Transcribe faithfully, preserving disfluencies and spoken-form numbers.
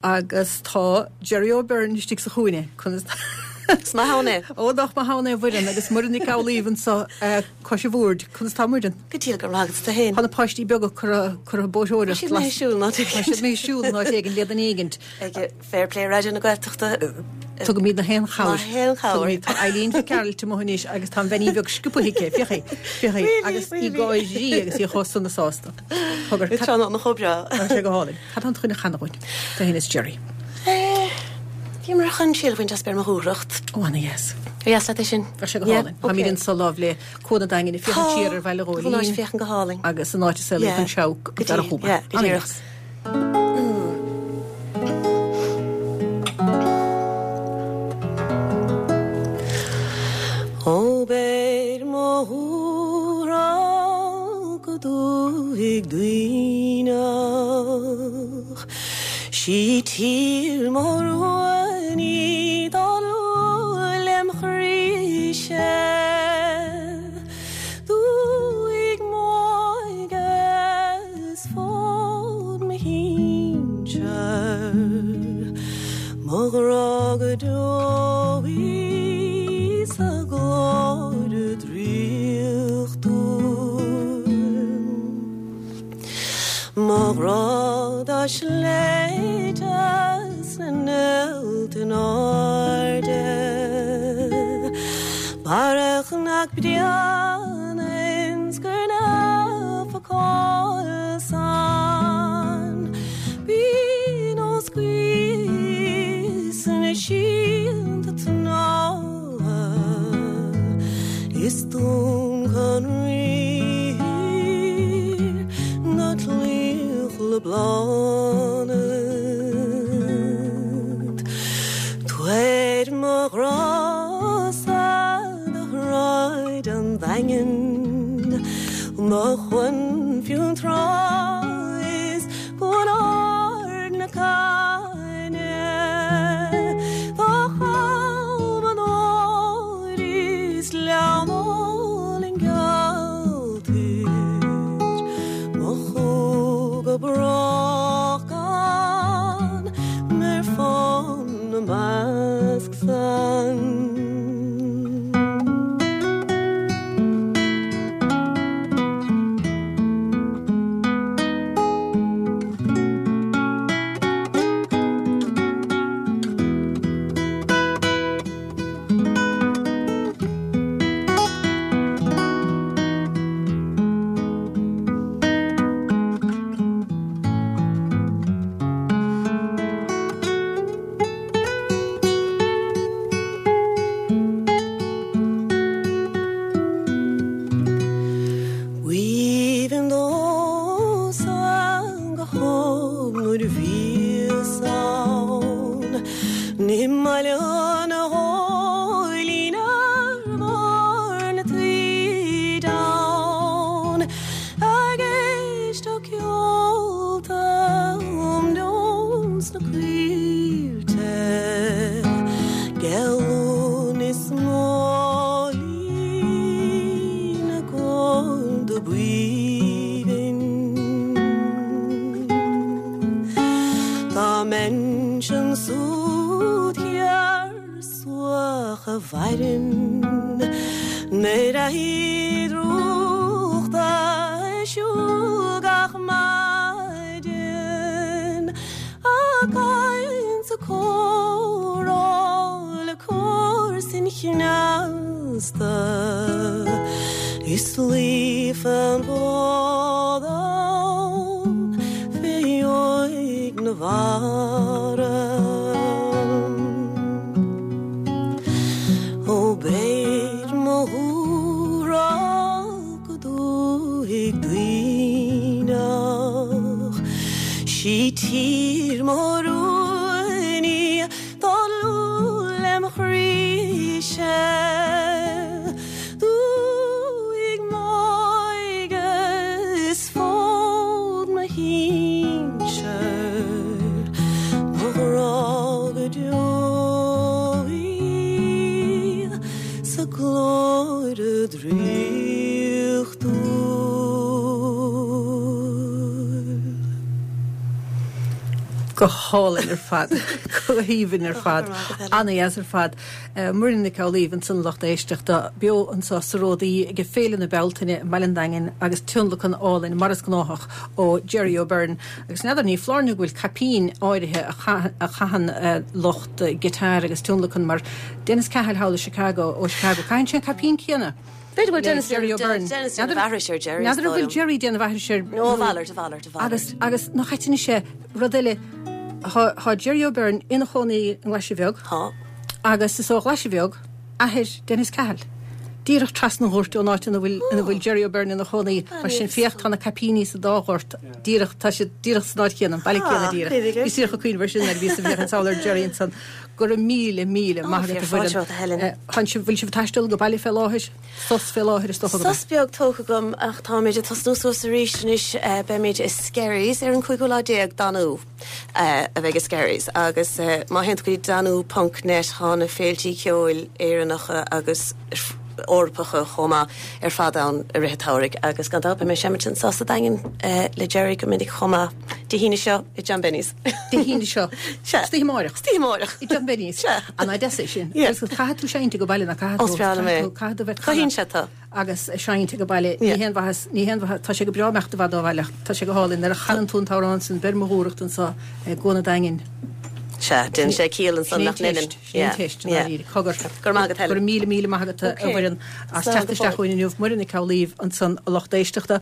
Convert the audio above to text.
Agus tá Jerry O'Byrne istigh sa chúinne conas Is maith ann é. Ó nach maith ann é Mhuireann agus Muireann Nic Amhlaoibh anseo cois an bhoird conas tá Muireann. Go diail go raibh tú féin. Tá na páistí beaga curtha curtha bóithreoireacht Siad mé siúl ná Tá siad mé siúl ná éigin le duine éigint. Ag Fair Play Raidió na Gaeltachta. Tugaimid na haon chabhair. Na haon chabhair. Tá Eileen Fitzgerald amuigh anois agus tá an bheainín bheag sciobtha aici féach féach agus í ag gáirí agus í chomh sona sásta. Cogar Tá na chomh breá. Tá sé go hálainn. Cad tá chun a chanadh dúinn? Tú féin is Jerry. Bhí mar chun síl bhaint as beir mo dhúthracht. Ó ana dheas. Dheas leat é sin. Tá sé go hálainn. Táimid anseo láimh le Cuan an Daingin ag féachaint siar ar Bhaile Ghóilín. Tá féachann go hálainn. Agus an áit a saolaíodh an Seabhac go Dara Chúba. Go díreach. Ó beir mo dhúthracht go dúthaigh Duibhneach Sí tír mo rúin í dá lú lem chroí-se Dúthaigh m'óige is fód mo shinsear Mo ghrá go deo í sa ghlóire draíochtúil Mo ghrá dá sléibhte 's na néalta in airde Barra Chnoc Bréanainn 's gur naofa cáil san Bí nós gaoith na síonta tnámha Is Dún Conraoi ná claíoch le Bláthnaid Tabhair mo ghrá-sa do shráid an Daingin Mo chuan Fionntrá is Cuan Ard na Caithne Do Cholm an Óir is Gleann Álainn Gealtair Mo chú go brách gan ar fán na measc san. B'aoibhinn domhsa go hóg nuair a bhíos ann i mBaile an Ghóilín ar bharr na taoide ann ag éisteacht ceolta um neoin sna coillte Gealún is móilín na gcorda b'aoibhinn. Dá mbeinnse ansúd thiar suach a mhaireann nuair a drúchta siúl gach maidin a caint sa comhrá le comharsain chneasta is luí fán bhfód ann fé dheoidh na bhfeara. Ó beir mo dhúthracht go dúthaigh Duibhneach Sí tír mo rúin í dá lú lem chroí-se Dúthaigh m'óige is fód mo shinsear Mo ghrá go deo í sa ghlóire draíochtúil. Go hálainn ar fad, go haoibhinn ar fad, an-deas ar fad. Muireann Nic Amhlaoibh ansan lucht éisteachta beo anseo sa Ródaí ag Féile na Bealtaine i mBaile an Daingin agus tionlacan álainn mar is gnáthach ó Jerry O'Byrne. Agus n'fheadar ní foláir nó go bhfuil caipín áirithe a chaitheann lucht guitar agus tionlacan mar Dennis Cahill thall i Chicago ó Chicago. Caitheann sé an caipín céanna. B'fhéidir bhfuil Dennis Jerry O'Byrne. Dennis déanamh aithris ar Jerry. N'fheadar an bhfuil Jerry déanamh aithris ar No, a mhalairt, a mhalairt, a mhalairt. Agus agus nach ait anois é rud eile Tá Jerry O'Byrne ina chónaí i nGlaise Bheag. Tá. Agus is ó Ghlaise Bheag athair Dennis Cahill. Díreach trasna an ghoirt ón áit ina bhfuil ina bhfuil Jerry O'Byrne ina chónaí. Mar sin féach tá na caipíní sa dá ghort díreach tá siad díreach san áit chéanna, an baile céanna díreach. Bhí saoire cuimhneamh ar sin nuair a bhíos ag féachaint sall ar Jerry ansan. Go raibh míle míle maith agat a Mhuireann. Tánn sibh bhfuil sibh ag taisteal go baile fé láthair? Sos fé láthair is dócha go Sos beag tógtha agam ach táimid ag tosnú suas arís anois beimid i Skerries ar an cúigiú lá déag Danú a bheidh i Skerries agus má théann tú go dtí danú ponc net tá na féiltí ceoil Éireannacha agus Eorpacha chomh maith ar fad ann i rith an tsamhraidh agus gan dabht beidh mé ag seimint anseo sa Daingean le Jerry go minic chomh maith Dé hAoine seo i John Benny's. Dé hAoine seo. Sea. Istoíche amárach. Istoíche amárach. I John Benny's. Sea. An deas é sin. Yeah. Agus caithfidh tú seinnt ag baile na caithfidh Ó, is breá liom é. Caithfidh tú bheith Cothaíonn sé tú. agus seinnt ag baile ní Yeah. haon mhaitheas ní haon mhaitheas tá sé go breá imeacht i bhfad ó bhaile tá sé go hálainn nuair a chanann tú an t-amhrán sin beir mo dhúthracht anseo i gCuan an Daingin. Sea, déanann sé ciall ansan nach ndeineann. Sin an teist, Yeah. Cogar. Go raibh maith agat, Helen. Go raibh míle míle maith agat a Okay. Mhuireann as Slán teacht go isteach fóill. chugainn inniu Muireann Nic Amhlaoibh ansan a lucht éisteachta.